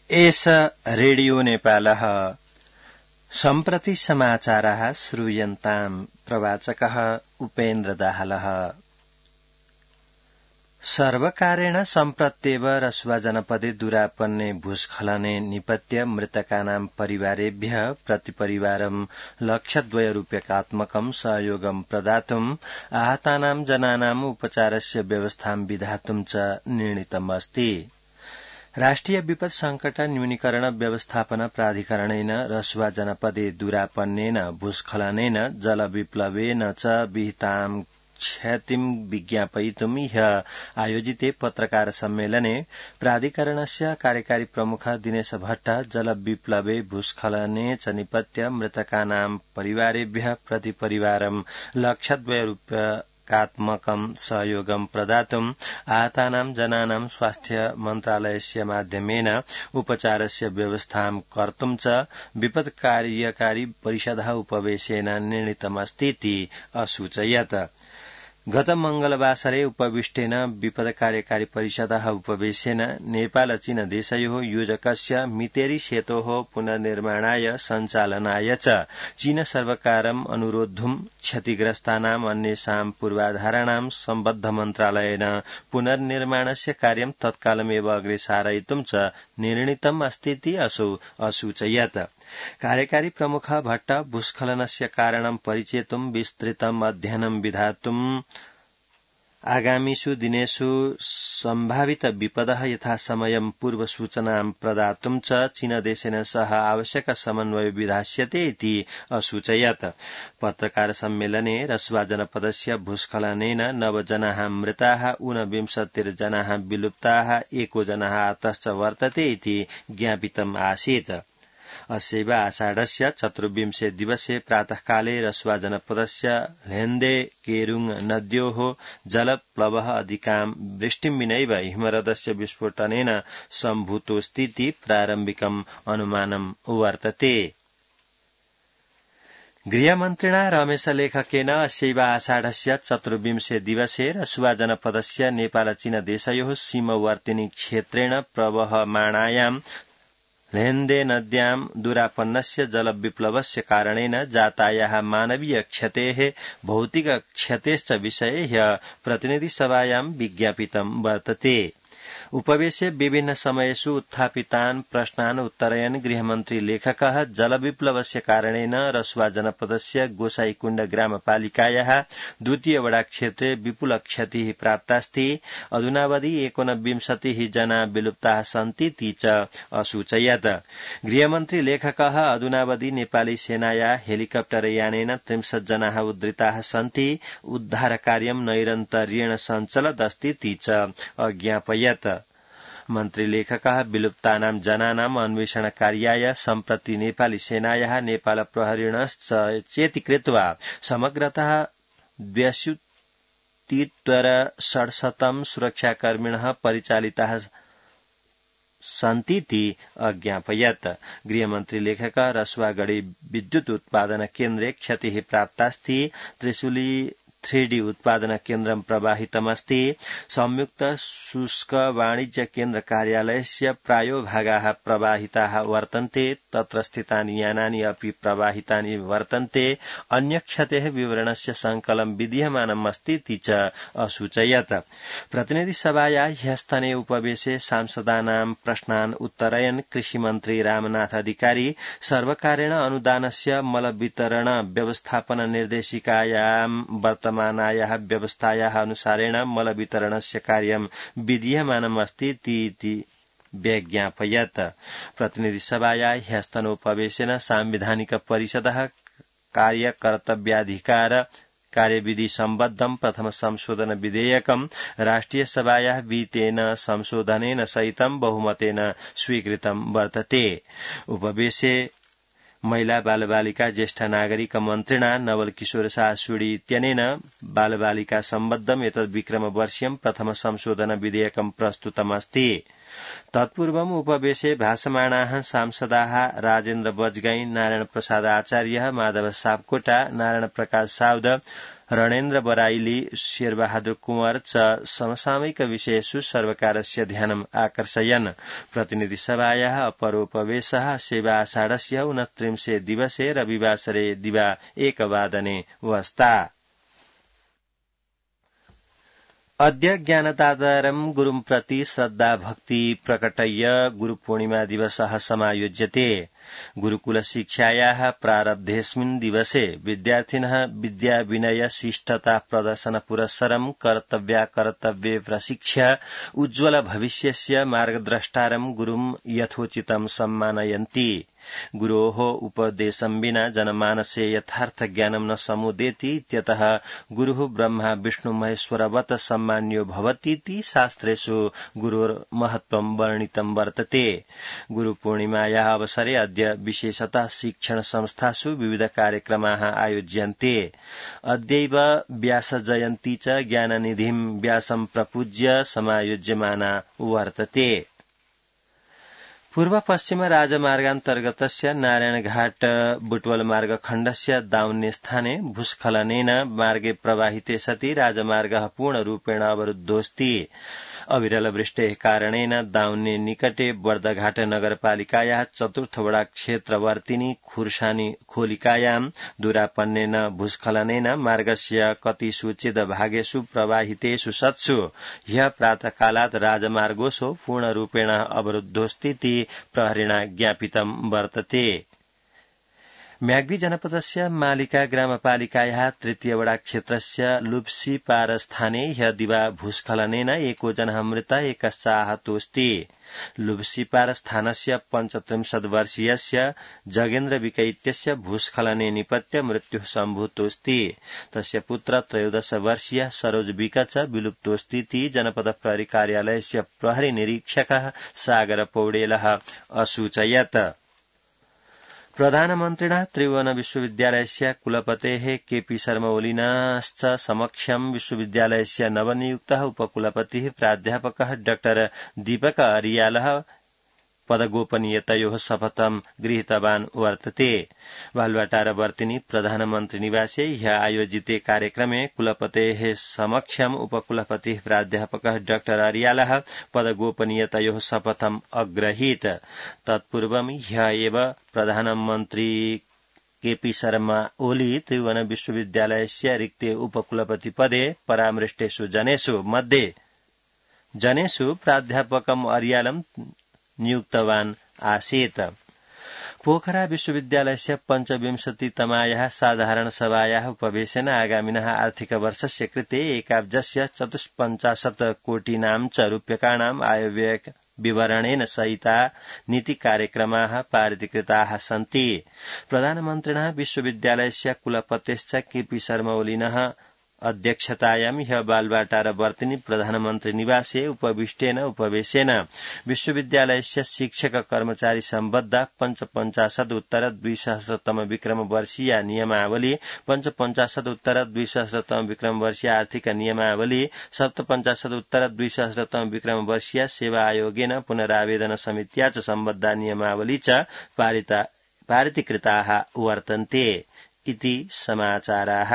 एष रेडियो नेपालः सम्प्रति समाचारः श्रूयन्ताम् प्रवाचकः उपेन्द्र दाहालः। सर्वकारेण सम्प्रत्येव रसुवा जनपदे दुरापन्ने भूस्खलने निपत्य मृतकानां परिवारेभ्यः प्रतिपरिवारं ₹1,00,000 सहयोगं प्रदातुम् आहतानां जनानाम् उपचारस्य व्यवस्थां विधातुं च निर्णीतमस्ति। राष्ट्रिय विपद संकट न्यूनीकरण व्यवस्थापन प्राधिकरणेन रसुवा जनपदे दुरापन्नेन भूस्खलनेन जलविप्लवेन च विहितां क्षतिं विज्ञापयितुं ह्यः आयोजिते पत्रकार सम्मेलने प्राधिकरणस्य कार्यकारी प्रमुख दिनेश भट्ट जलविप्लवे भूस्खलने च निपत्य मृतकानां परिवारेभ्यः प्रतिपरिवारं ₹1,00,000 सहयोगं प्रदातुम् आहतानां जनानां स्वास्थ्य मन्त्रालयस्य माध्यमेन उपचारस्य व्यवस्थां कर्तुं च विपद कार्यकारी परिषदः उपवेशेन निर्णीतमस्तीति असूचयत्। गत मंगलवासरे उपविष्टेन विपद कार्यकारी परिषदः उपवेशेन नेपाल चीन देशयोः योजकस्य मितेरी सेतोः पुनर्निर्माणाय सञ्चालनाय च चीन सर्वकारम् अनुरोद्धुम् क्षतिग्रस्तानाम् अन्येषां पूर्वाधाराणां सम्बद्ध मन्त्रालयेन पुनर्निर्माणस्य कार्यं तत्कालमेव अग्रे सारयितुं च निर्णीतम् अस्तीति असौ असूचयत्। कार्यकारी प्रमुख भट्ट भूस्खलनस्य कारणं परिचेतुं विस्तृतम् अध्ययनं विधातुम् आगामिषु दिनेषु सम्भावित विपदः यथासमयं पूर्वसूचनां प्रदातुं च चीनदेशेन सह आवश्यक समन्वय विधास्यते इति असूचयत्। पत्रकार सम्मेलने रसुवा जनपदस्य भूस्खलनेन 9 जनाः मृताः, 29 जनाः विलुप्ताः, 1 जनः आतश्च वर्तते इति ज्ञापितम् आसीत्। अस्यैव आषाढस्य 24 दिवसे प्रातःकाले रसुवा जनपदस्य ल्हेन्दे केरुङ नद्योः जलप्लवः अधिकां वृष्टिं विनैव हिमरदस्य विस्फोटनेन सम्भूतोऽस्तीति प्रारम्भिकम् अनुमानम् वर्तते। गृहमन्त्रिणा रमेश लेखकेन अस्यैव आषाढस्य 24 दिवसे रसुवा जनपदस्य नेपाल चीन देशयोः सीमवर्तिनी क्षेत्रेण प्रवहमाणायां ल्हेन्दे नद्यां दुरापन्नस्य जलविप्लवस्य कारणेन जातायाः मानवीय क्षतेः भौतिक क्षतेश्च विषये ह्यः प्रतिनिधिसभायां विज्ञापितं वर्तते। उपवेशे विभिन्न समयेषु उत्थापितान् प्रश्नान् उत्तरयन् गृहमन्त्री लेखकः जलविप्लवस्य कारणेन रसुवा जनपदस्य गोसाईकुण्ड ग्रामपालिकायाः 2 वडा क्षेत्रे विपुल क्षतिः प्राप्तास्ति। अधुनावधि 29 जना विलुप्ताः सन्ति इति च असूचयत्। गृहमन्त्री लेखकः अधुनावधि नेपाली सेनायाः हेलिकप्टर यानेन 30 जनाः उद्धृताः सन्ति। उद्धारकार्यं नैरन्तर्येण सञ्चलदस्ति इति च अज्ञापयत्। मन्त्री लेखकः विलुप्तानां जनानाम् अन्वेषणकार्याय सम्प्रति नेपाली सेनायाः नेपाल प्रहरीणश्च चेतीकृत्वा समग्रतः 82 सुरक्षाकर्मिणः परिचालिताः सन्तीति अज्ञापयत्। गृहमन्त्री लेखकः रसुवागढी विद्युत् उत्पादन केन्द्रे क्षतिः प्राप्तास्ति। त्रिशूली 3D उत्पादन केन्द्रं प्रवाहितमस्ति। संयुक्त शुष्क वाणिज्य केन्द्र कार्यालयस्य प्रायो भागाः प्रवाहिताः वर्तन्ते। तत्र स्थितानि यानानि अपि प्रवाहितानि वर्तन्ते। अन्य क्षतेः विवरणस्य संकलनं विधीयमानम् अस्ति इति च असूचयत्। प्रतिनिधिसभायाः ह्यस्तने उपवेशे सांसदानां प्रश्नान् उत्तरयन् कृषिमन्त्री रामनाथ अधिकारी सर्वकारेण अनुदानस्य मलवितरण व्यवस्थापन निर्देशिकायां वर्तमानायाः व्यवस्थायाः अनुसारेण मलवितरणस्य कार्यं विधीयमानम् अस्ति इति व्यज्ञापयत्। प्रतिनिधिसभायाः ह्यस्तनोपवेशेन सांविधानिक परिषदः कार्यकर्तव्याधिकार कार्यविधि सम्बद्धं प्रथम संशोधन विधेयकं राष्ट्रिय सभायाः विहितेन संशोधनेन सहितं बहुमतेन स्वीकृतं वर्तते। उपवेशे महिला बालबालिका ज्येष्ठ नागरिक मन्त्रिणा नवल किशोर सासुडी इत्यनेन बालबालिका सम्बद्धम् एतद् विक्रमवर्षीयं प्रथम संशोधन विधेयकं प्रस्तुतमस्ति। तत्पूर्वम् उपवेशे भाषमाणाः सांसदाः राजेन्द्र बजगाई, नारायण प्रसाद आचार्य, माधव सापकोटा, नारायण प्रकाश साउद, रणेन्द्र बराइली, शेरबहादुर कुंवर च समसामयिक विषयेषु सर्वकारस्य ध्यानम् आकर्षयन्। प्रतिनिधिसभायाः अपरोपवेशः सेवाषाढस्य 29 दिवसे रविवासरे दिवा 1 वस्ता। अद्य ज्ञानदातारं गुरुं प्रति श्रद्धा भक्ति प्रकटय्य गुरुपूर्णिमा दिवसः समायोज्यते। गुरुकुल शिक्षायाः प्रारब्धेऽस्मिन् दिवसे विद्यार्थिनः विद्या विनय शिष्टता प्रदर्शन पुरस्सरं कर्तव्ये प्रशिक्ष्य उज्ज्वल भविष्यस्य मार्गद्रष्टारं गुरुं यथोचितं सम्मानयन्ति। गुरोः उपदेशं विना जनमानसे यथार्थ ज्ञानं न समुदेति इत्यतः गुरुः ब्रह्मा विष्णु महेश्वरवत् सम्मान्यो भवतीति शास्त्रेषु गुरोर्महत्त्वं वर्णितं वर्तते। गुरुपूर्णिमायाः अवसरे अद्य विशेषतः शिक्षण संस्थासु विविध कार्यक्रमाः आयोज्यन्ते। अद्यैव व्यासजयन्ती च ज्ञाननिधिं व्यासं प्रपूज्य समायोज्यमाना वर्तते। पूर्व पश्चिम राजमार्गान्तर्गतस्य नारायणघाट बुटवल मार्गखण्डस्य दाउन्ने स्थाने भूस्खलनेन मार्गे प्रवाहिते सति राजमार्गः पूर्णरूपेण अवरुद्धोऽस्ति। अविरल वृष्टेः कारणेन दाउन्ने निकटे बर्दघाट नगरपालिकायाः चतुर्थ वडा क्षेत्रवर्तिनी खुर्सानी खोलिकायां दूरापन्नेन भूस्खलनेन मार्गस्य कतिषुचिद भागेषु प्रवाहितेषु सत्सु ह्यः प्रातःकालात् राजमार्गोऽसौ पूर्णरूपेण अवरुद्धोऽस्तीति प्रहरिणा ज्ञापितं वर्तते। म्याग्दी जनपदस्य मालिका ग्रामपालिकायाः तृतीय वडा क्षेत्रस्य लुप्सीपार स्थाने ह्यः दिवा भूस्खलनेन एको जनः मृतः एकश्च आहतोऽस्ति। लुप्सीपार स्थानस्य 35 वर्षीयस्य जगेन्द्र विकै इत्यस्य भूस्खलने निपत्य मृत्युः सम्भूतोऽस्ति। तस्य पुत्र 13 वर्षीयः सरोज विक च विलुप्तोऽस्तीति जनपद प्रहरी कार्यालयस्य प्रहरी निरीक्षकः सागर पौडेलः असूचयत्। प्रधानमन्त्रिणा त्रिभुवन विश्वविद्यालयस्य कुलपतेः केपी शर्मा ओलीनाश्च समक्षं विश्वविद्यालयस्य नवनियुक्तः उपकुलपतिः प्राध्यापकः डॉ दीपक अरियालः पदगोपनीयतयोः शपथं गृहीतवान् वर्तते। बालुवाटारवर्तिनी प्रधानमन्त्री निवासे ह्यः आयोजिते कार्यक्रमे कुलपतेः समक्षम् उपकुलपतिः प्राध्यापकः डॉ अरियालः पदगोपनीयतयोः शपथम् अग्रहीत। तत्पूर्वं ह्यः एव प्रधानमन्त्री केपी शर्मा ओली त्रिभुवन विश्वविद्यालयस्य रिक्ते उपकुलपति पदे परामृष्टेषु जनेषु प्राध्यापकम् अरियालं नियुक्तवान् आसीत्। पोखरा विश्वविद्यालयस्य 25तमायाः साधारण सभायाः उपवेशेन आगामिनः आर्थिक वर्षस्य कृते एकाब्जस्य 54 कोटीनां च रूप्यकाणाम् आयव्यय विवरणेन सहिता नीति कार्यक्रमाः पारितीकृताः सन्ति। प्रधानमन्त्रिणः विश्वविद्यालयस्य कुलपतेश्च केपी शर्मा ओलिनः अध्यक्षतायां ह्यः बालुवाटारवर्तिनी प्रधानमन्त्री निवासे उपविष्टेन उपवेशेन विश्वविद्यालयस्य शिक्षक कर्मचारी सम्बद्धा 55 विक्रम वर्षीया नियमावली 55 विक्रम वर्षीय आर्थिक नियमावली 57 विक्रम वर्षीय सेवा आयोगेन पुनरावेदन समित्या च सम्बद्धा नियमावली च पारितीकृताः वर्तन्ते इति समाचाराः।